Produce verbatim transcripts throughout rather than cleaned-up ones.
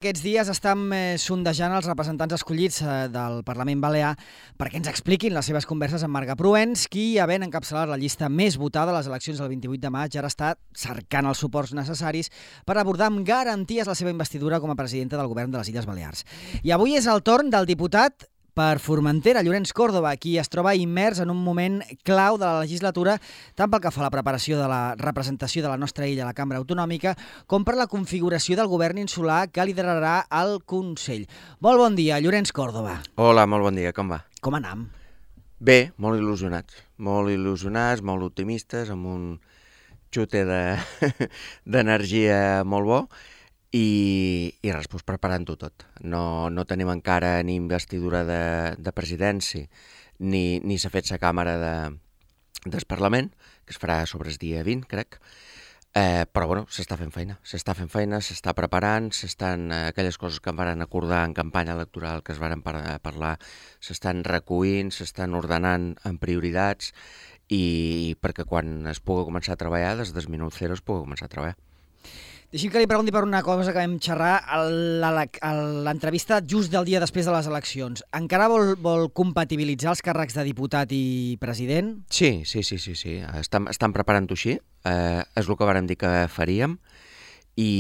Aquests dies estem eh, sondejant els representants escollits eh, del Parlament Balear perquè ens expliquin les seves converses amb Marga Proens, qui, havent encapçalat la llista més votada a les eleccions del vint-i-vuit de maig, ara està cercant els suports necessaris per abordar amb garanties la seva investidura com a presidenta del govern de les Illes Balears. I avui és el torn del diputat per Formentera, Llorenç Córdoba, qui es troba immers en un moment clau de la legislatura, tant pel que fa a la preparació de la representació de la nostra illa a la Cambra Autonòmica, com per la configuració del govern insular que liderarà el Consell. Molt bon dia, Llorenç Córdoba. Hola, molt bon dia, com va? Com anam? Bé, molt il·lusionats, molt il·lusionats, molt optimistes, amb un xute d'energia de, molt bo, i, i res, doncs preparant-ho tot. No, no tenim encara ni investidura de, de presidència, ni, ni s'ha fet la càmera de, del Parlament, que es farà sobre el dia vint, crec, eh, però bueno, s'està fent feina, s'està fent feina, s'està preparant, s'estan eh, aquelles coses que en varen acordar en campanya electoral que es varen par parlar, s'estan recollint, s'estan ordenant en prioritats, i perquè quan es pugui començar a treballar, des del minut zero es pugui començar a treballar. Deixi'm que li pregunti per una cosa que vam xerrar a l'entrevista just del dia després de les eleccions. Encara vol, vol compatibilitzar els càrrecs de diputat i president? Sí, sí, sí, sí, sí. Estan, estan preparant-ho així. Eh, és el que vàrem dir que faríem. I,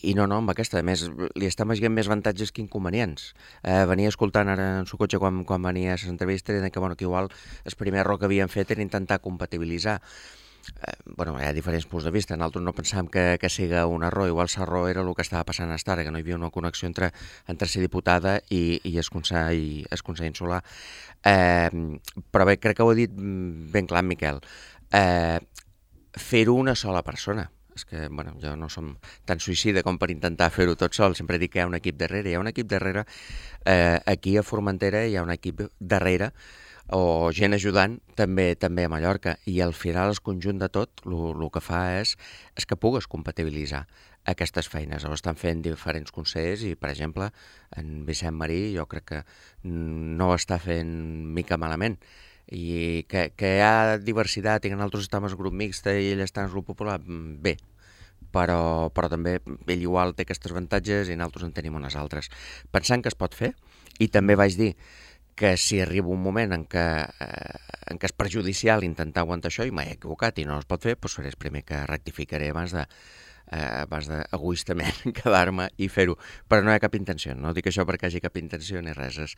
i no, no, amb aquesta, a més, li estan veient més avantatges que inconvenients. Eh, venia escoltant ara en el cotxe quan, quan venia a les entrevistes i deien que, bueno, que igual el primer error que havien fet era intentar compatibilitzar. Eh, bueno, hi ha diferents punts de vista. Nosaltres no pensàvem que, que sigui un error. Igual l'error era el que estava passant a ara, que no hi havia una connexió entre, entre ser diputada i, i el Consell, el Consell Insular. Eh, però bé, crec que ho ha dit ben clar en Miquel. Eh, Fer-ho una sola persona. És que, bueno, jo no som tan suïcida com per intentar fer-ho tot sol. Sempre dic que hi ha un equip darrere. Hi ha un equip darrere. Eh, aquí a Formentera hi ha un equip darrere, o gent ajudant, també també a Mallorca, i al final el conjunt de tot el que fa és, és que pugues compatibilitzar aquestes feines. Ho estan fent diferents consellers i, per exemple, en Vicent Marí jo crec que no ho està fent mica malament, i que, que hi ha diversitat i que nosaltres estem al grup mixt i ell està al grup popular, bé, però, però també ell igual té aquests avantatges i nosaltres en tenim unes altres. Pensant que es pot fer, i també vaig dir que si arriba un moment en què, eh, en què és perjudicial intentar aguantar això i m'he equivocat i no es pot fer, doncs seré el primer que rectificaré abans de eh, abans d'egoistament quedar-me i fer-ho. Però no hi ha cap intenció, no dic això perquè hi hagi cap intenció ni res. És,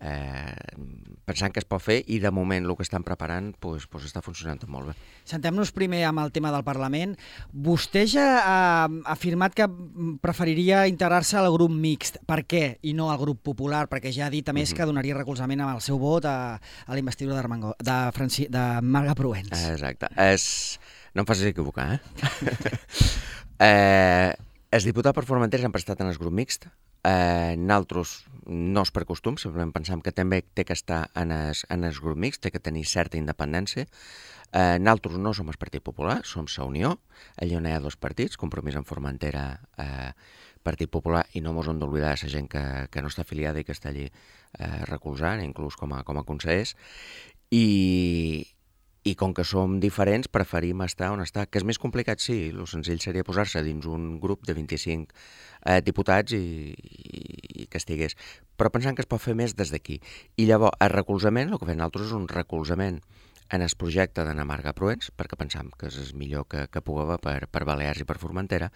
eh, pensant que es pot fer, i de moment el que estan preparant doncs, doncs està funcionant tot molt bé. Sentem-nos primer amb el tema del Parlament. Vostè ja ha afirmat que preferiria integrar-se al grup mixt. Per què? I no al grup popular, perquè ja ha dit, a més, mm-hmm. que donaria recolzament amb el seu vot a, a la investidura de, de, Franci, de Marga Proens. Exacte. És... No em facis equivocar, eh? eh els diputats per Formentera han prestat en el grup mixt. Eh, nosaltres no és per costum, simplement pensam que també té que estar en el, en el grup mixt, té que tenir certa independència. Eh, nosaltres no som el Partit Popular, som la Unió. Allà on hi ha dos partits, Compromís en Formentera, eh, Partit Popular, i no mos hem d'oblidar la gent que, que no està afiliada i que està allí eh, recolzant, inclús com a, com a consellers. I... I com que som diferents, preferim estar on està. Que és més complicat, sí. El senzill seria posar-se dins un grup de vint-i-cinc eh, diputats i, i, i que estigués. Però pensant que es pot fer més des d'aquí. I llavors, el recolzament, el que fem nosaltres és un recolzament en el projecte d'Anna Marga Proens, perquè pensam que és el millor que, que pugui haver per, per Balears i per Formentera,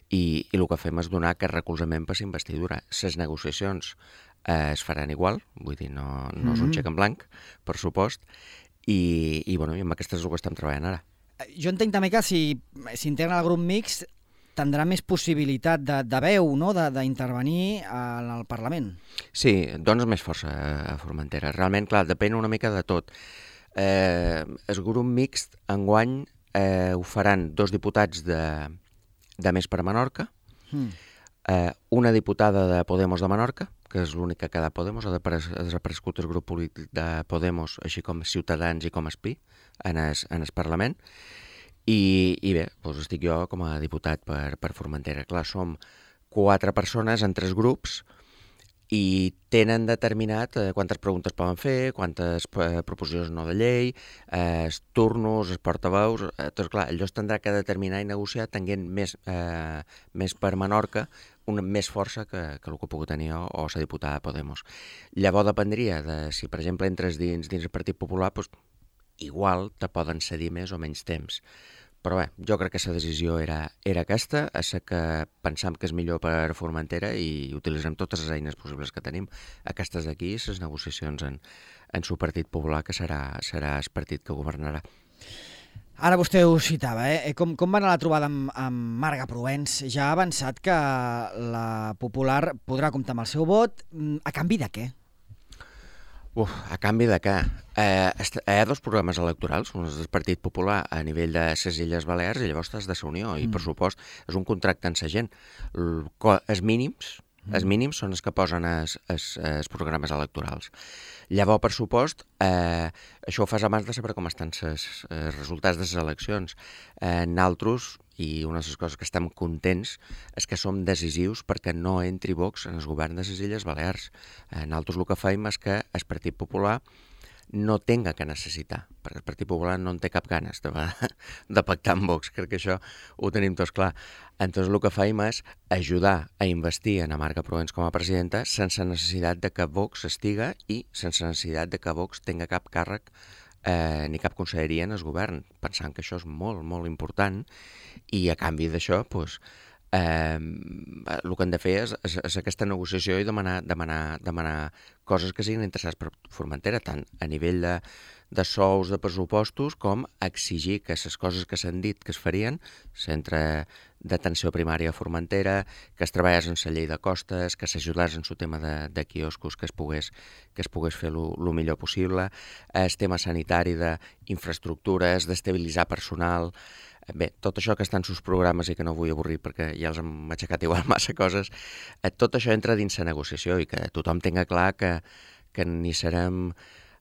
i, i el que fem és donar aquest recolzament per l'investidura. Les negociacions eh, es faran igual, vull dir, no, no és un xec en blanc, per supost, I, i, bueno, i amb aquestes és el que estem treballant ara. Jo entenc també que si s'integra al grup mixt tindrà més possibilitat de, de veu, no?, d'intervenir en el Parlament. Sí, dones més força a Formentera. Realment, clar, depèn una mica de tot. Eh, el grup mixt enguany eh, ho faran dos diputats de, de Més per Menorca, mm. eh, una diputada de Podemos de Menorca, que és l'únic que queda Podemos, ha desaparegut el grup polític de Podemos, així com Ciutadans i com Espí, en el, en el Parlament. I, i bé, doncs estic jo com a diputat per, per Formentera. Clar, som quatre persones en tres grups i tenen determinat eh, quantes preguntes poden fer, quantes eh, proposicions no de llei, eh, els turnos, els portaveus... Eh, doncs clar, allò es tindrà que determinar i negociar tenint més, eh, més per Menorca una més força que, que el que pugui tenir o, o la diputada de Podemos. Llavors dependria de si, per exemple, entres dins, dins el Partit Popular, doncs, igual te poden cedir més o menys temps. Però bé, jo crec que la decisió era, era aquesta, és que pensam que és millor per Formentera i utilitzem totes les eines possibles que tenim. Aquestes d'aquí, les negociacions en, en su Partit Popular, que serà, serà el partit que governarà. Ara vostè ho citava, eh? Com, com va anar la trobada amb, amb Marga Proens? Ja ha avançat que la Popular podrà comptar amb el seu vot. A canvi de què? Uf, a canvi de què? Eh, hi ha dos programes electorals, un és del Partit Popular a nivell de les Illes Balears i llavors estàs de la Unió, i per supost és un contracte amb la gent. Els mínims, els mínims són els que posen els, els, els programes electorals. Llavors, per supost, eh, això ho fas abans de saber com estan els resultats de les eleccions. Eh, Naltros, i una de les coses que estem contents és que som decisius perquè no entri Vox en el govern de les Illes Balears. Eh, nosaltres el que faim és que el Partit Popular no tenga que necessitar, perquè el Partit Popular no en té cap ganes de, de pactar amb Vox, crec que això ho tenim tots clar. Entonces el que faim és ajudar a investir en Marga Proens com a presidenta sense necessitat de que Vox estiga i sense necessitat de que Vox tenga cap càrrec eh, ni cap conselleria en el govern, pensant que això és molt, molt important, i a canvi d'això, doncs, eh, el que hem de fer és, és, és aquesta negociació i demanar, demanar, demanar coses que siguin interessants per Formentera, tant a nivell de, de sous, de pressupostos, com exigir que les coses que s'han dit que es farien, centre d'atenció primària a Formentera, que es treballés en la llei de costes, que s'ajudés en el tema de, de quioscos, que es pogués, que es pogués fer el millor possible, el tema sanitari d'infraestructures, d'estabilitzar personal. Bé, tot això que està en sus programes i que no vull avorrir perquè ja els hem aixecat igual massa coses, tot això entra dins la negociació i que tothom tenga clar que, que ni serem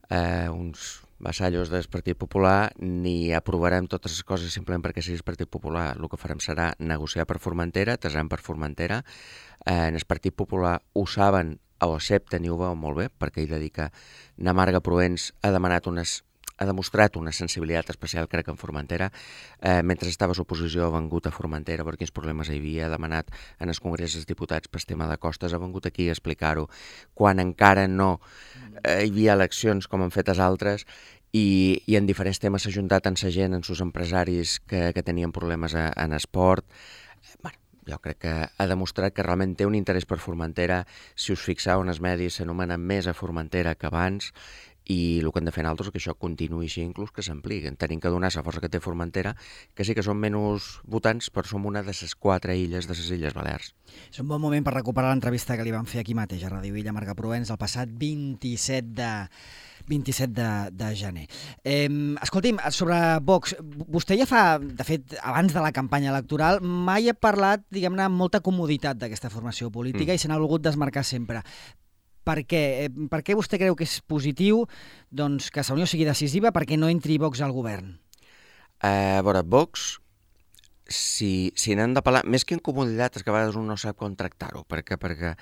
eh, uns vassallos del Partit Popular ni aprovarem totes les coses simplement perquè sigui el Partit Popular. El que farem serà negociar per Formentera, tesem per Formentera. Eh, en el Partit Popular ho saben, ho accepten i ho veuen molt bé, perquè ell dedica na Marga Proens ha demanat unes ha demostrat una sensibilitat especial, crec, en Formentera. Eh, mentre estava a l'oposició ha vengut a Formentera per quins problemes hi havia, ha demanat en els congrés dels diputats per tema de costes, ha vengut aquí a explicar-ho, quan encara no eh, hi havia eleccions com han fet els altres, i, i en diferents temes s'ha juntat amb la gent, amb els empresaris que, que tenien problemes a, en esport. Eh, bueno, jo crec que ha demostrat que realment té un interès per Formentera. Si us fixeu en els medis, s'anomena més a Formentera que abans, i el que hem de fer nosaltres és que això continuï així, inclús que s'ampliï. Tenim que donar la força que té Formentera, que sí que són menys votants, però som una de les quatre illes de les Illes Balears. És un bon moment per recuperar l'entrevista que li van fer aquí mateix a Ràdio Illa, Marga Proens, el passat vint-i-set de gener. Eh, escolti'm, sobre Vox, vostè ja fa, de fet, abans de la campanya electoral, mai ha parlat, diguem-ne, amb molta comoditat d'aquesta formació política mm. i se n'ha volgut desmarcar sempre. Per què? Per què vostè creu que és positiu doncs, que la Unió sigui decisiva perquè no entri Vox al govern? Uh, a veure, Vox, si, si n'hem de parlar, més que incomoditat, és que a vegades un no sap com tractar-ho, perquè, perquè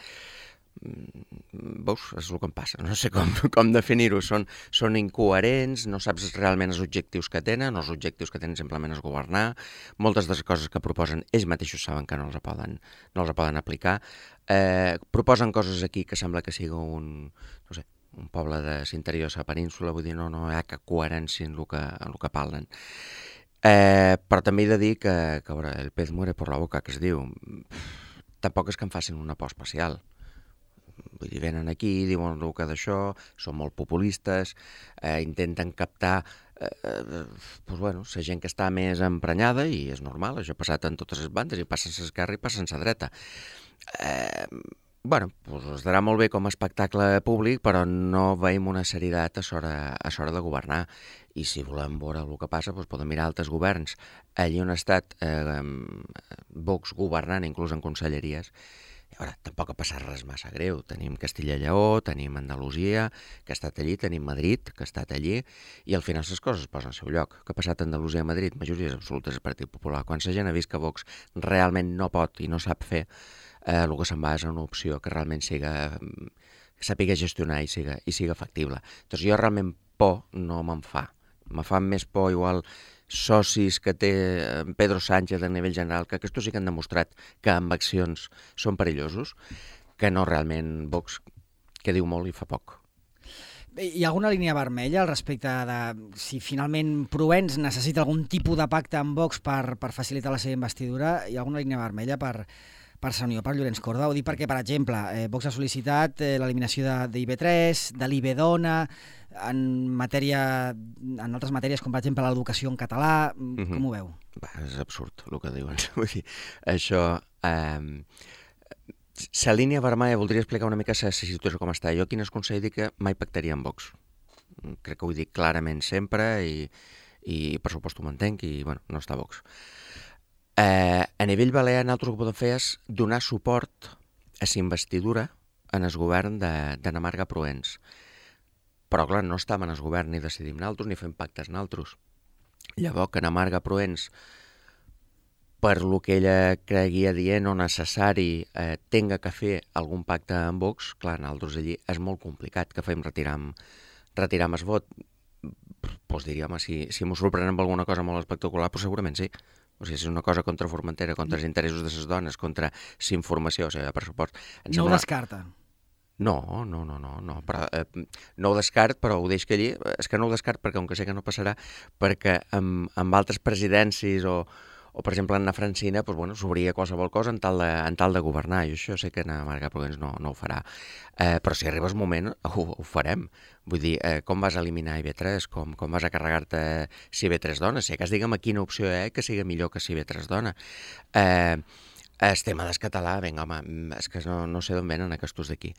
Vox és el que em passa, no sé com, com definir-ho, són, són incoherents, no saps realment els objectius que tenen, els objectius que tenen simplement és governar, moltes de les coses que proposen ells mateixos saben que no els poden, no els poden aplicar, eh, proposen coses aquí que sembla que sigui un, no sé, un poble de l'interior de la península, vull dir, no, no hi ha cap coherència en el que, en el que parlen. Eh, però també he de dir que, que veure, el pez muere por la boca, que es diu, tampoc és que em facin una por especial. Vull dir, venen aquí, diuen el que d'això, són molt populistes, eh, intenten captar eh, eh, doncs, bueno, la gent que està més emprenyada, i és normal, això ha passat en totes les bandes, i passen l'esquerra i passen la dreta. Eh, bueno, doncs es darà molt bé com a espectacle públic, però no veiem una serietat a l'hora a l'hora de governar. I si volem veure el que passa, doncs podem mirar altres governs. Allí on ha estat eh, Vox governant, inclús en conselleries, i ara, tampoc ha passat res massa greu. Tenim Castilla i Lleó, tenim Andalusia, que ha estat allí, tenim Madrid, que ha estat allí, i al final les coses es posen al seu lloc. Què ha passat a Andalusia i Madrid? Majories absolutes del Partit Popular. Quan la gent ha vist que Vox realment no pot i no sap fer, eh, el que se'n va és una opció que realment siga, que sàpiga gestionar i siga, i siga factible. Doncs jo realment por no me'n fa. Me fa més por igual socis que té Pedro Sánchez a nivell general, que aquests sí que han demostrat que amb accions són perillosos, que no realment Vox, que diu molt i fa poc. Hi ha alguna línia vermella al respecte de si finalment Provenç necessita algun tipus de pacte amb Vox per, per facilitar la seva investidura? Hi ha alguna línia vermella per, per Sant Unió, per Llorenç Corda? Ho dic perquè, per exemple, eh, Vox ha sol·licitat eh, l'eliminació de, de I B tres, de l'I B Dona, en, matèria, en altres matèries com, per exemple, l'educació en català. Mm-hmm. Com ho veu? Va, és absurd el que diuen. Vull dir, això... Eh... La línia vermella, voldria explicar una mica la situació com està. Jo, quin és consell, dic que mai pactaria amb Vox. Crec que ho dic clarament sempre i, i per supost ho mantenc i, bueno, no està Vox. Eh, a nivell balear, nosaltres el que podem fer és donar suport a la investidura en el govern de, de Namarga Provenç. Però, clar, no estem en el govern ni decidim nosaltres ni fem pactes nosaltres. Llavors, que Namarga Provenç, per lo que ella creguia dient o necessari, eh, tenga que fer algun pacte amb Vox, clar, nosaltres allí és molt complicat que fem retirar retirar el vot. Doncs diríem, si, si m'ho sorprenem amb alguna cosa molt espectacular, doncs segurament sí. O sigui, si és una cosa contra Formentera, contra els interessos de les dones, contra la informació, o sigui, per suport... No sembla... ho descarta? No, no, no, no, no, però, eh, no ho descart, però ho deix que allí, és que no ho descart perquè, com que sé que no passarà, perquè amb, amb altres presidències o o, per exemple, Anna Francina, doncs, bueno, s'obria qualsevol cosa en tal de, en tal de governar, i això sé que Anna Marga Provenç no, no ho farà. Eh, però si arriba el moment, ho, ho farem. Vull dir, eh, com vas eliminar I B tres, com, com vas a carregar-te si I B tres dona, si cas digue'm a quina opció hi ha que sigui millor que si I B tres dona. Eh, el tema del català, vinga, home, és que no, no sé d'on venen aquests d'aquí.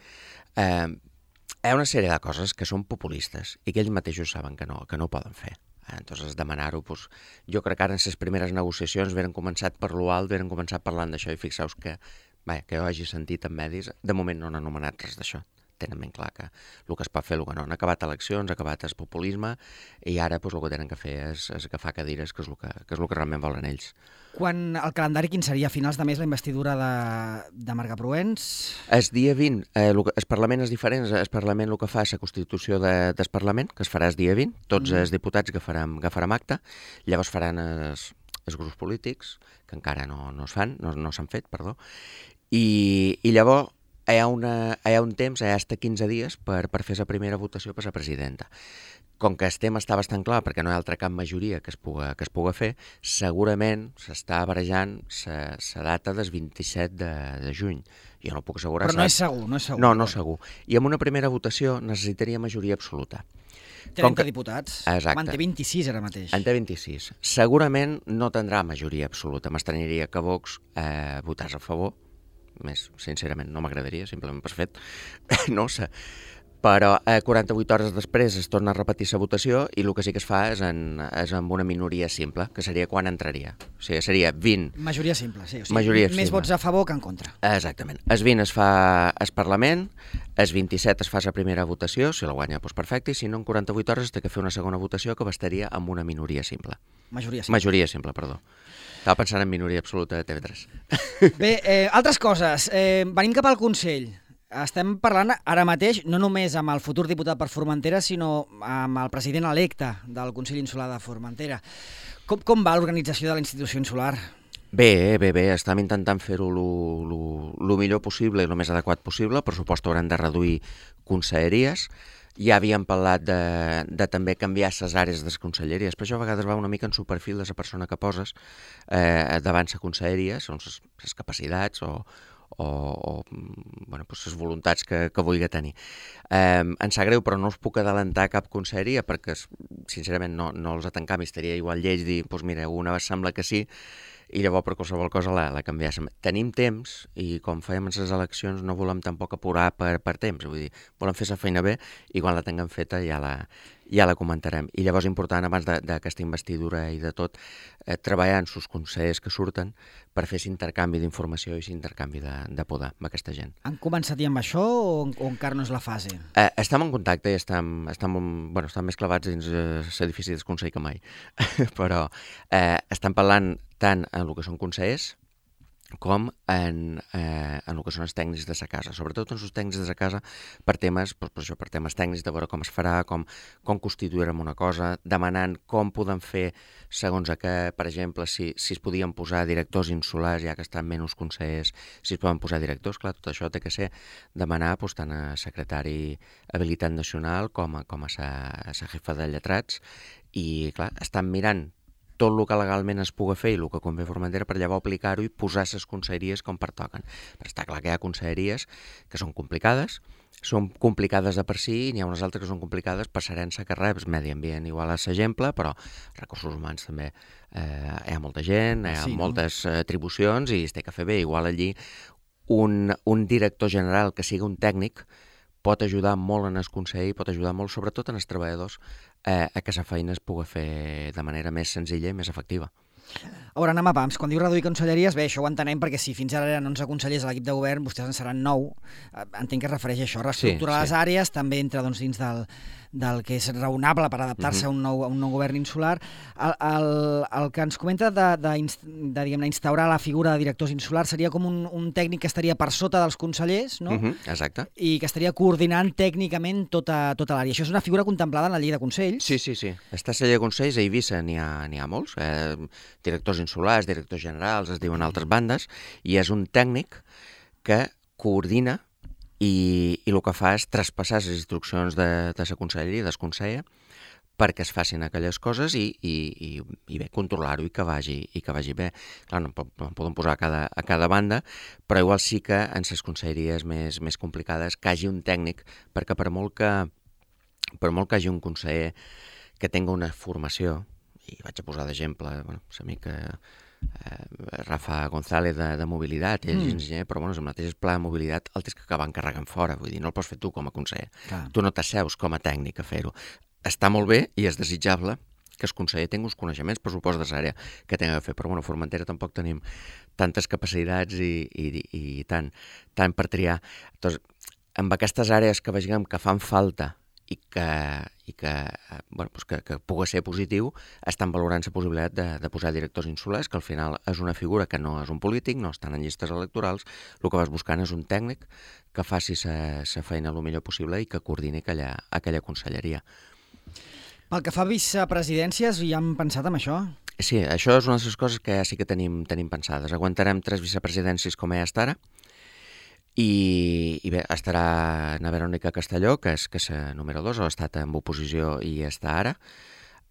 Eh, hi ha una sèrie de coses que són populistes i que ells mateixos saben que no, que no ho poden fer. Entonces, demanar-ho, doncs, jo crec que ara en les primeres negociacions veren començat per lo alt, veren començat parlant d'això i fixeu-vos que, vaja, que jo hagi sentit en medis, de moment no han anomenat res d'això. Tenen ben clar que el que es pot fer, el que no. Han acabat eleccions, ha acabat el populisme i ara doncs, el que tenen que fer és, és agafar cadires, que és, el que, que és el que realment volen ells. Quan el calendari quin seria? A finals de mes la investidura de, de Marga Provenç? El dia vint, eh, el, el Parlament és diferent, el Parlament el que fa és la Constitució de, del Parlament, que es farà el dia vint, tots mm. els diputats agafarem, agafarem acte, llavors faran els, els grups polítics, que encara no, no es fan, no, no s'han fet, perdó, i, i llavors hi ha, una, hi ha un temps, hi ha fins quinze dies per, per fer la primera votació per la presidenta. Com que el tema està bastant clar, perquè no hi ha altra cap majoria que es puga, que es puga fer, segurament s'està barejant la data del vint-i-set de, de juny. Jo no puc assegurar... Però no és segur, no és segur. No, no és segur. I amb una primera votació necessitaria majoria absoluta. trenta que... diputats. Exacte. En té vint-i-sis ara mateix. En té vint-i-sis. Segurament no tindrà majoria absoluta. M'estraniria que Vox eh, votàs a favor. Més, sincerament, no m'agradaria, simplement per fet. No sé. Però eh, quaranta-vuit hores després es torna a repetir la votació i el que sí que es fa és, en, és amb una minoria simple, que seria quan entraria. O sigui, seria vint... Majoria simple, sí. O sigui, majoria més simple. Vots a favor que en contra. Exactament. El vint es fa al Parlament, el vint-i-set es fa la primera votació, si la guanya, doncs perfecte, i si no, en quaranta-vuit hores es té que fer una segona votació que bastaria amb una minoria simple. Majoria simple. Majoria simple, perdó. Estava pensant en minoria absoluta de T V tres. Bé, eh, altres coses. Eh, venim cap al Consell. Estem parlant ara mateix no només amb el futur diputat per Formentera, sinó amb el president electe del Consell Insular de Formentera. Com, com va l'organització de la institució insular? Bé, bé, bé. Estem intentant fer-ho el millor possible i el més adequat possible. Per supost hauran de reduir conselleries. Ja havíem parlat de, de també canviar les àrees de les conselleries, però això a vegades va una mica en superfil de la persona que poses eh, davant la conselleria, són les capacitats o, o, o bueno, doncs les voluntats que, que vulgui tenir. Eh, em sap greu, però no us puc adelantar cap conselleria perquè, sincerament, no, no els atancam i estaria igual lleig dir, doncs mira, una sembla que sí, i llavors per qualsevol cosa la, la canviàssim. Tenim temps i com fèiem en les eleccions no volem tampoc apurar per, per temps, vull dir, volem fer la feina bé i quan la tinguem feta ja la, ja la comentarem. I llavors important, abans d'aquesta investidura i de tot, eh, treballar en els consellers que surten per fer l'intercanvi d'informació i l'intercanvi de, de poder amb aquesta gent. Han començat ja amb això o, o encara no és la fase? Eh, estem en contacte i estem, estem, bueno, estem més clavats dins eh, l'edifici del Consell que mai, però eh, estem parlant tant en el que són consellers com en, eh, en el que són els tècnics de sa casa, sobretot en els tècnics de sa casa per temes, per, per això, per temes tècnics, de veure com es farà, com, com constituirem una cosa, demanant com podem fer segons a què, per exemple, si, si es podien posar directors insulars, ja que estan menys consellers, si es poden posar directors, clar, tot això té que ser demanar doncs, tant a secretari habilitat nacional com a, com a sa, a sa jefa de lletrats, i clar, estan mirant tot el que legalment es pugui fer i el que convé Formentera per llavors aplicar-ho i posar les conselleries com pertoquen. Però està clar que hi ha conselleries que són complicades, són complicades de per si, i n'hi ha unes altres que són complicades per herència que reps. Medi ambient igual és l'exemple, però recursos humans també eh, hi ha molta gent, hi ha sí, moltes no? atribucions i es té que fer bé. Igual allí un, un director general que sigui un tècnic pot ajudar molt en el consell, pot ajudar molt sobretot en els treballadors eh, a que la feina es pugui fer de manera més senzilla i més efectiva. A veure, anem a pams. Quan diu reduir conselleries, bé, això ho entenem perquè si fins ara eren onze consellers a l'equip de govern, vostès en seran nou. Entenc que es refereix a això, reestructurar sí, sí. les àrees, també entra doncs, dins del, del que és raonable per adaptar-se uh-huh. a, un nou, a un nou govern insular. El, el, el que ens comenta de, de, de diguem-ne, instaurar la figura de directors insulars seria com un, un tècnic que estaria per sota dels consellers, no? Uh-huh. Exacte. I que estaria coordinant tècnicament tota, tota l'àrea. Això és una figura contemplada en la llei de consells? Sí, sí, sí. Està a la llei de consells, a Eivissa n'hi ha, n'hi ha molts. Eh, directors insulars, directors generals, es diuen altres bandes, i és un tècnic que coordina i, i el que fa és traspassar les instruccions de, de la conselleria, del conseller, perquè es facin aquelles coses i, i, i, i bé, controlar-ho i que vagi i que vagi bé. Clar, no, no en podem posar a cada, a cada banda, però igual sí que en les conselleries més, més complicades que hagi un tècnic, perquè per molt que, per molt que hagi un conseller que tingui una formació, i vaig a posar d'exemple, bueno, l'amic eh, Rafa González de, de mobilitat, ell és mm. enginyer, però bueno, el mateix pla de mobilitat el tens que acabar encarregant fora, vull dir, no el pots fer tu com a conseller. Clar. Tu no t'asseus com a tècnic a fer-ho. Està molt bé i és desitjable que el conseller tingui uns coneixements, per supost, de l'àrea que tingui de fer, però bueno, a Formentera tampoc tenim tantes capacitats i, i, i, i tant, tant per triar. Doncs, amb aquestes àrees que vegem que fan falta i que, i que, bueno, doncs que, que pugui ser positiu, estan valorant la possibilitat de, de posar directors insulars, que al final és una figura que no és un polític, no estan en llistes electorals, el que vas buscant és un tècnic que faci la feina el millor possible i que coordini aquella, aquella conselleria. Pel que fa a vicepresidències, ja hem pensat en això? Sí, això és una de les coses que ja sí que tenim, tenim pensades. Aguantarem tres vicepresidències com ja està ara, I, i bé, estarà na Verònica Castelló, que és, que és número dos, ha estat en oposició i està ara,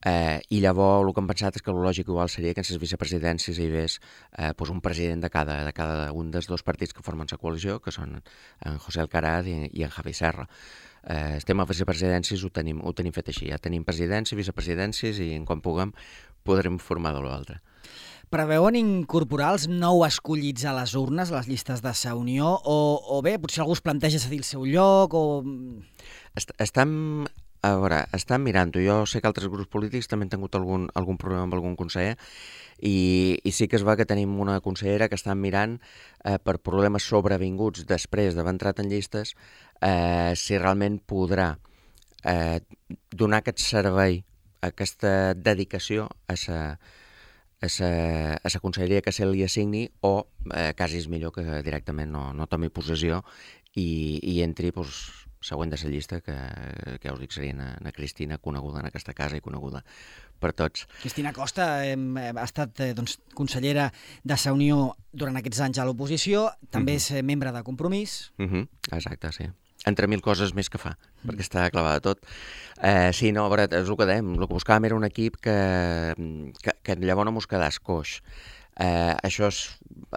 eh, i llavors el que hem pensat és que el lògic igual seria que en les vicepresidències hi hagués eh, doncs un president de cada, de cada un dels dos partits que formen la coalició, que són en José Alcaraz i, i en Javi Serra. Eh, el tema de vicepresidències ho tenim, ho tenim fet així, ja tenim presidències, vicepresidències i en quan puguem podrem formar de l'altre. Preveuen incorporar els nou escollits a les urnes, a les llistes de sa Unió, o, o bé, potser algú es planteja cedir el seu lloc, o... Est estem, a veure, estem mirant-ho. Jo sé que altres grups polítics també han tingut algun, algun problema amb algun conseller, i, i sí que es va que tenim una consellera que està mirant eh, per problemes sobrevinguts després d'haver entrat en llistes, eh, si realment podrà eh, donar aquest servei, aquesta dedicació a sa a la conselleria que se li assigni o eh, quasi és millor que directament no, no tomi possessió i, i entri pues, següent de la llista que, que ja us dic seria na, na Cristina, coneguda en aquesta casa i coneguda per tots. Cristina Costa eh, ha estat eh, doncs, consellera de sa Unió durant aquests anys a l'oposició, també uh-huh. és membre de Compromís. Uh-huh. Exacte, sí. Entre mil coses més que fa, perquè està clavada tot. Eh, sí, no, a veure, és el que dèiem, el que buscàvem era un equip que, que, que llavors no mos quedàs coix. Eh, això és,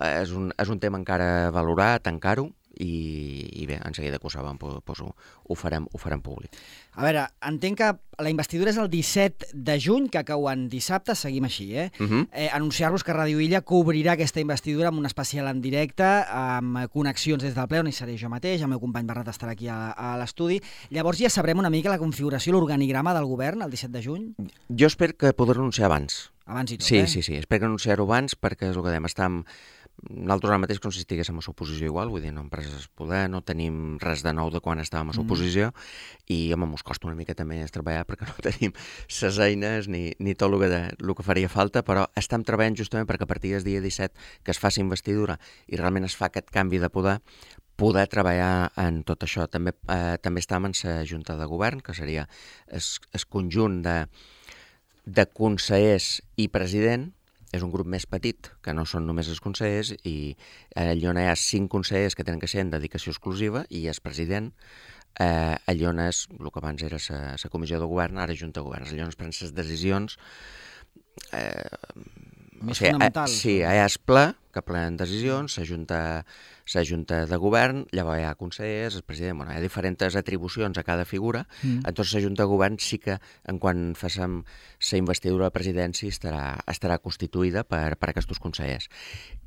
és, un, és un tema encara a valorar, tancar-ho, i, i bé, en seguida que ho sabem, doncs ho, ho, farem, ho farem públic. A veure, entenc que la investidura és el disset de juny, que cau en dissabte, seguim així, eh? Uh-huh. eh anunciar-vos que Ràdio Illa cobrirà aquesta investidura amb un especial en directe, amb connexions des del ple, on hi seré jo mateix, el meu company Barret estarà aquí a, a l'estudi. Llavors ja sabrem una mica la configuració, l'organigrama del govern el disset de juny? Jo espero que poder anunciar abans. Abans i tot, sí, eh? Sí, sí, espero anunciar-ho abans perquè és el que dèiem, estem Nosaltres ara mateix com si estiguéssim a l'oposició igual, vull dir, no hem pres el poder, no tenim res de nou de quan estàvem a l'oposició mm. i, home, mos costa una mica també treballar perquè no tenim ses eines ni, ni tot el que, de, el que faria falta, però estem treballant justament perquè a partir del dia disset que es faci investidura i realment es fa aquest canvi de poder, poder treballar en tot això. També, eh, també estàvem en la Junta de Govern, que seria el conjunt de, de consellers i president. És un grup més petit, que no són només els consellers, i allà on hi ha cinc consellers que tenen que ser en dedicació exclusiva, i el president, eh, allà on és, el que abans era la comissió de govern, ara Junta de Govern, allà on es prenen les decisions... Eh, més o sigui, fonamentals. Eh, sí, hi ha el ple, que prenen decisions, la Junta, la Junta de Govern, llavors hi ha consellers, el president, bueno, hi ha diferents atribucions a cada figura, mm. entonces la Junta de Govern sí que, en quan facem la investidura de la presidència, estarà, estarà constituïda per, per aquests consellers.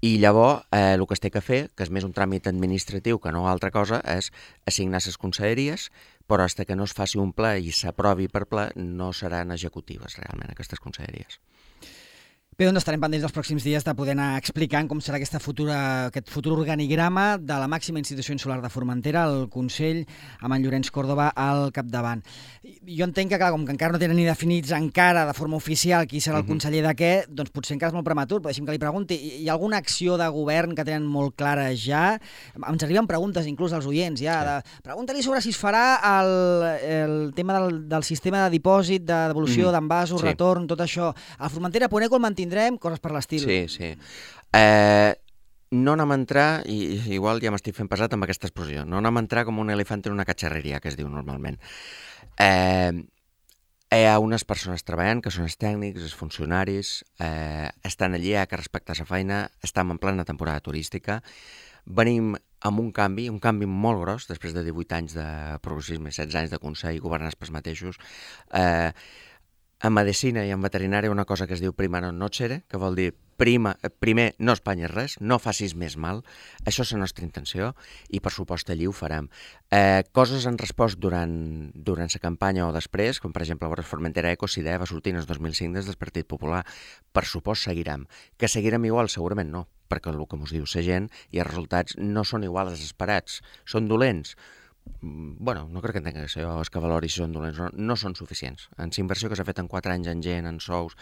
I llavors, eh, el que es té que fer, que és més un tràmit administratiu que no altra cosa, és assignar les conselleries, però fins que no es faci un ple i s'aprovi per ple, no seran executives realment aquestes conselleries. Bé, doncs estarem pendents dels pròxims dies de poder anar explicant com serà aquesta futura, aquest futur organigrama de la màxima institució insular de Formentera, el Consell, amb en Llorenç Còrdova al capdavant. Jo entenc que, clar, com que encara no tenen ni definits encara de forma oficial qui serà el conseller de què, doncs potser encara és molt prematur, però deixi'm que li pregunti, hi ha alguna acció de govern que tenen molt clara ja? Ens arriben preguntes inclús als oients, ja, de, pregunta-li sobre si es farà el, el tema del, del sistema de dipòsit, de devolució mm. d'envasos, sí. retorn, tot això. A Formentera Poneco el mantindrà tindrem coses per l'estil. Sí, sí. Eh, no anem a entrar, i igual ja m'estic fent pesat amb aquesta expressió, no anem a entrar com un elefant en una catxarreria, que es diu normalment. Eh, hi ha unes persones treballant, que són els tècnics, els funcionaris, eh, estan allí, hi ha que respectar la feina, estem en plena temporada turística, venim amb un canvi, un canvi molt gros, després de divuit anys de progressisme, setze anys de Consell, governats pels mateixos. Eh, En medicina i en veterinària una cosa que es diu prima non nocere, que vol dir prima, primer no espanyes res, no facis més mal, això és la nostra intenció i per supost allí ho farem. Eh, coses han respost durant, durant la campanya o després, com per exemple a Formentera Eco, si idea va sortir en el dos mil cinc des del Partit Popular, per supost seguirem. Que seguirem igual? Segurament no, perquè el que ens diu la gent i els resultats no són igual als esperats, són dolents. Bueno, no crec que tinguin que ser els que valoris si són dolents, no, no són suficients. En la inversió que s'ha fet en quatre anys en gent, en sous,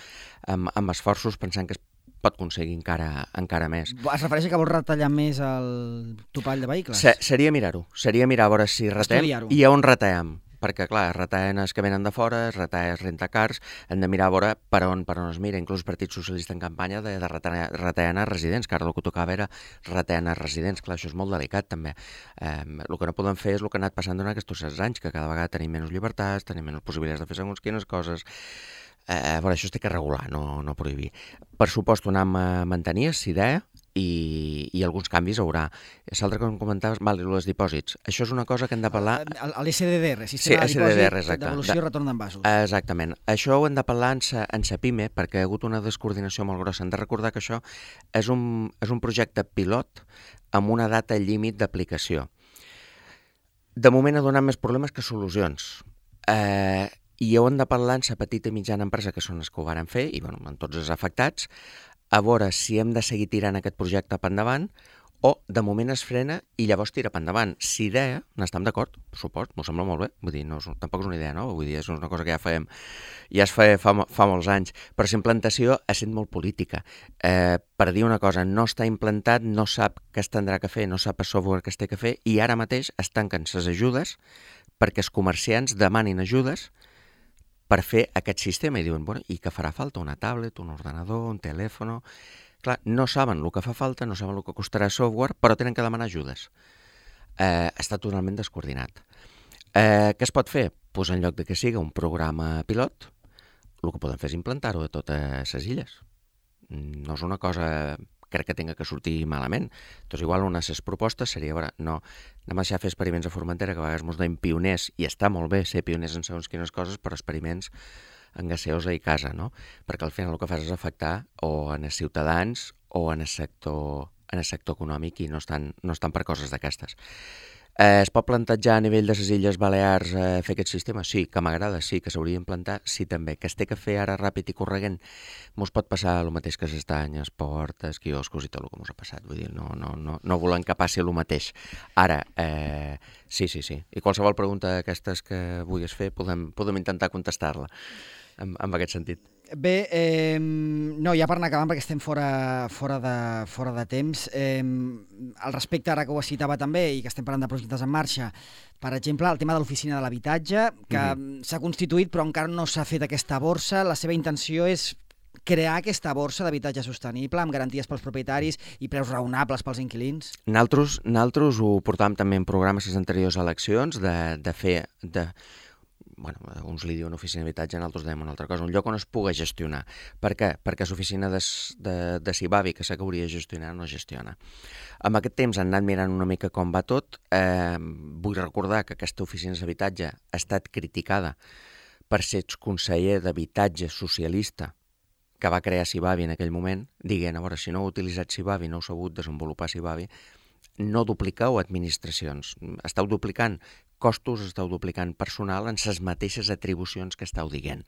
amb, amb esforços, pensant que es pot aconseguir encara, encara més. Es refereix a que vols retallar més el topall de vehicles? Se, seria mirar-ho, seria mirar a veure si retem i a on retallem. Perquè, clar, es retallen els que venen de fora, es retallen els rentacars, hem de mirar a veure per on, per on es mira. Inclús el Partit Socialista en campanya de, de retallar, retallar els residents, que ara el que tocava era retallar els residents. Clar, això és molt delicat, també. Eh, el que no podem fer és el que ha anat passant durant aquests setze anys, que cada vegada tenim menys llibertats, tenim menys possibilitats de fer segons quines coses. Eh, bueno, això es té que regular, no, no prohibir. Per supost, ho anem a mantenir, si idea, i, i alguns canvis haurà. L'altre que em comentaves, val, els dipòsits. Això és una cosa que hem de parlar... L'S D D R, Sistema sí, de Dipòsit, exacte. Devolució i Retorn d'Envasos. Exactament. Això ho hem de parlar en sa, en sa PIME, perquè hi ha hagut una descoordinació molt grossa. Hem de recordar que això és un, és un projecte pilot amb una data límit d'aplicació. De moment ha donat més problemes que solucions. Eh, I ho hem de parlar en sa petita i mitjana empresa, que són els que ho varen fer, i bueno, en tots els afectats, a veure si hem de seguir tirant aquest projecte per endavant o de moment es frena i llavors tira per endavant. Si idea, n'estem d'acord, per supost, m'ho sembla molt bé, vull dir, no, tampoc és una idea nova, vull dir, és una cosa que ja fem, ja es fa, fa, fa molts anys, però la implantació ha estat molt política. Eh, per dir una cosa, no està implantat, no sap què es tindrà que fer, no sap el software que es té que fer i ara mateix es tanquen les ajudes perquè els comerciants demanin ajudes per fer aquest sistema i diuen, bueno, i que farà falta una tablet, un ordenador, un telèfon... Clar, no saben el que fa falta, no saben el que costarà software, però tenen que demanar ajudes. Eh, està totalment descoordinat. Eh, què es pot fer? Pues en lloc de que siga un programa pilot, el que podem fer és implantar-ho a totes les illes. No és una cosa... crec que tinga que sortir malament. Doncs igual una de les propostes seria, veure, no, anem a deixar fer experiments a Formentera, que a vegades ens deim pioners, i està molt bé ser pioners en segons quines coses, però experiments en gaseosa i casa, no? Perquè al final el que fas és afectar o en els ciutadans o en el sector, en el sector econòmic i no estan, no estan per coses d'aquestes. Eh, es pot plantejar a nivell de les Illes Balears eh, fer aquest sistema? Sí, que m'agrada, sí, que s'hauria d'implantar, sí també. Que es té que fer ara ràpid i corregent, mos pot passar el mateix que s'estanyes, portes, quioscos i tot el que mos ha passat. Vull dir, no, no, no, no volem que passi el mateix. Ara, eh, sí, sí, sí. I qualsevol pregunta d'aquestes que vulguis fer, podem, podem intentar contestar-la en, en aquest sentit. Bé, eh, no, ja per anar acabant, perquè estem fora, fora, de, fora de temps. Eh, al respecte, ara que ho citava també, i que estem parlant de projectes en marxa, per exemple, el tema de l'oficina de l'habitatge, que mm-hmm. s'ha constituït però encara no s'ha fet aquesta borsa. La seva intenció és crear aquesta borsa d'habitatge sostenible amb garanties pels propietaris i preus raonables pels inquilins? Naltros, naltros ho portàvem també en programes les anteriors eleccions, de, de fer... De... bueno, uns li diuen oficina d'habitatge, nosaltres dèiem una altra cosa, un lloc on es pugui gestionar. Per què? Perquè l'oficina de, de, de Sibavi, que sé que hauria de gestionar, no gestiona. Amb aquest temps han anat mirant una mica com va tot. Eh, vull recordar que aquesta oficina d'habitatge ha estat criticada per ser conseller d'habitatge socialista que va crear Sibavi en aquell moment, dient, a veure, si no heu utilitzat Sibavi, no heu sabut desenvolupar Sibavi, no dupliqueu administracions, esteu duplicant costos, esteu duplicant personal en les mateixes atribucions que esteu dient.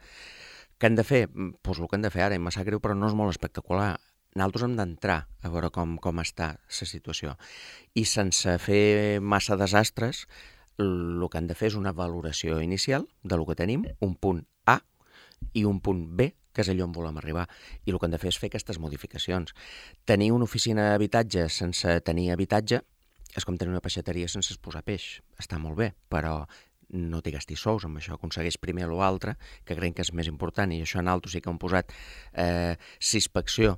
Què hem de fer? Doncs el que hem de fer ara, i em sap greu, però no és molt espectacular. Nosaltres hem d'entrar a veure com, com està la situació. I sense fer massa desastres, el que hem de fer és una valoració inicial del que tenim, un punt A i un punt B, que és allò on volem arribar. I el que hem de fer és fer aquestes modificacions. Tenir una oficina d'habitatge sense tenir habitatge és com tenir una peixateria sense posar peix. Està molt bé, però no t'hi gastis sous amb això. Aconsegueix primer l'altre, que creiem que és més important, i això en alto sí que hem posat eh, s'inspecció.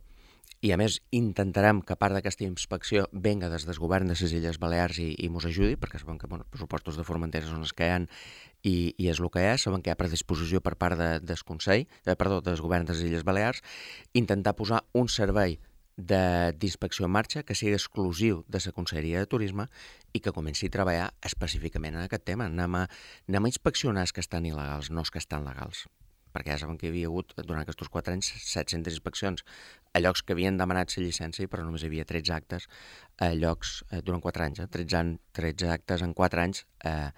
I a més intentarem que part d'aquesta inspecció venga des del govern de les Illes Balears i, i mos ajudi, perquè sabem que bueno, els pressupostos de Formentera són els que hi ha i, i és el que hi ha, sabem que hi ha predisposició per part de, del Consell, eh, perdó, del govern de les Illes Balears, intentar posar un servei d'inspecció en marxa que sigui exclusiu de la Conselleria de Turisme i que comenci a treballar específicament en aquest tema. Anem a, anem a inspeccionar els que estan il·legals, no els que estan legals. Perquè ja saben que hi havia hagut, durant aquests quatre anys, set-centes inspeccions a llocs que havien demanat la llicència, però només hi havia tretze actes a llocs, eh, durant quatre anys, eh, tretze, tretze actes en quatre anys, eh,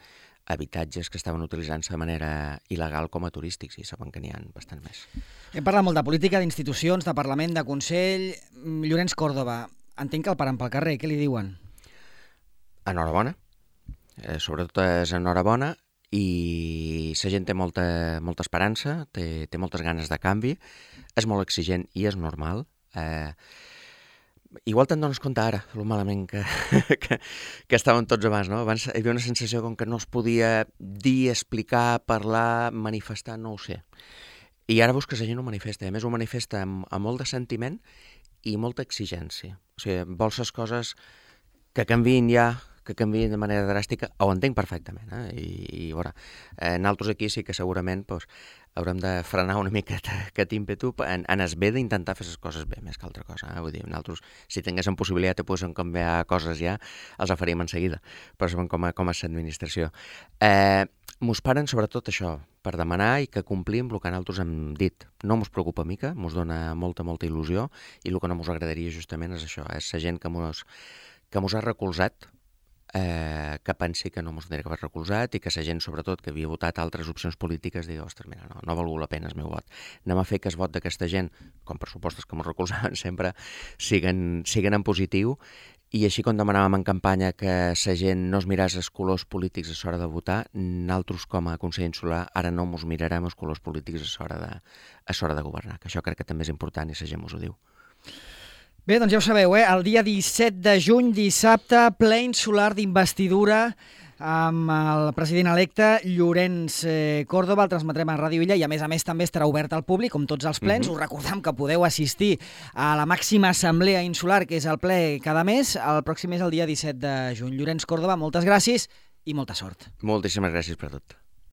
habitatges que estaven utilitzant-se de manera il·legal com a turístics, i saben que n'hi ha bastant més. Hem parlat molt de política, d'institucions, de Parlament, de Consell. Llorenç Córdoba, entenc que el paren pel carrer, què li diuen? Enhorabona, eh, sobretot és enhorabona, i la gent té molta, molta esperança, té, té moltes ganes de canvi, és molt exigent i és normal. Eh, igual te'n dones compte ara, el malament que, que, que estàvem tots abans, no? Abans hi havia una sensació com que no es podia dir, explicar, parlar, manifestar, no ho sé. I ara veus que la gent ho manifesta, a més ho manifesta amb, amb molt de sentiment i molta exigència. O sigui, vols les coses que canviïn ja, que canviïn de manera dràstica, ho entenc perfectament, eh? I, i veure, eh, nosaltres aquí sí que segurament pues, haurem de frenar una mica aquest ímpetu en, en es bé d'intentar fer les coses bé, més que altra cosa. Eh? Vull dir, nosaltres, si tinguéssim possibilitat de poder canviar coses ja, els la faríem en seguida, però sabem com, a, com és l'administració. Eh, mos paren sobretot això, per demanar i que complim el que nosaltres hem dit. No mos preocupa mica, mos dona molta, molta il·lusió, i el que no mos agradaria justament és això, és la gent que mos, que mos ha recolzat, Eh, que pensi que no mos tindria que haver recolzat i que la gent, sobretot, que havia votat altres opcions polítiques, digui, ostres, mira, no, no ha valgut la pena el meu vot. Anem a fer que el vot d'aquesta gent, com pressupostos que mos recolzaven sempre, siguen, siguen en positiu, i així com demanàvem en campanya que la gent no es miràs els colors polítics a l'hora de votar, nosaltres com a Consell Insular ara no mos mirarem els colors polítics a l'hora de, a l'hora de governar, que això crec que també és important i la gent mos ho diu. Bé, doncs ja ho sabeu, eh? El dia disset de juny, dissabte, ple insular d'investidura amb el president electe Llorenç eh, Córdoba. El transmetrem a Ràdio Illa i, a més a més, també estarà obert al públic, com tots els plens. Mm-hmm. Us recordem que podeu assistir a la màxima assemblea insular, que és el ple cada mes. El pròxim és el dia disset de juny. Llorenç Córdoba, moltes gràcies i molta sort. Moltíssimes gràcies per tot.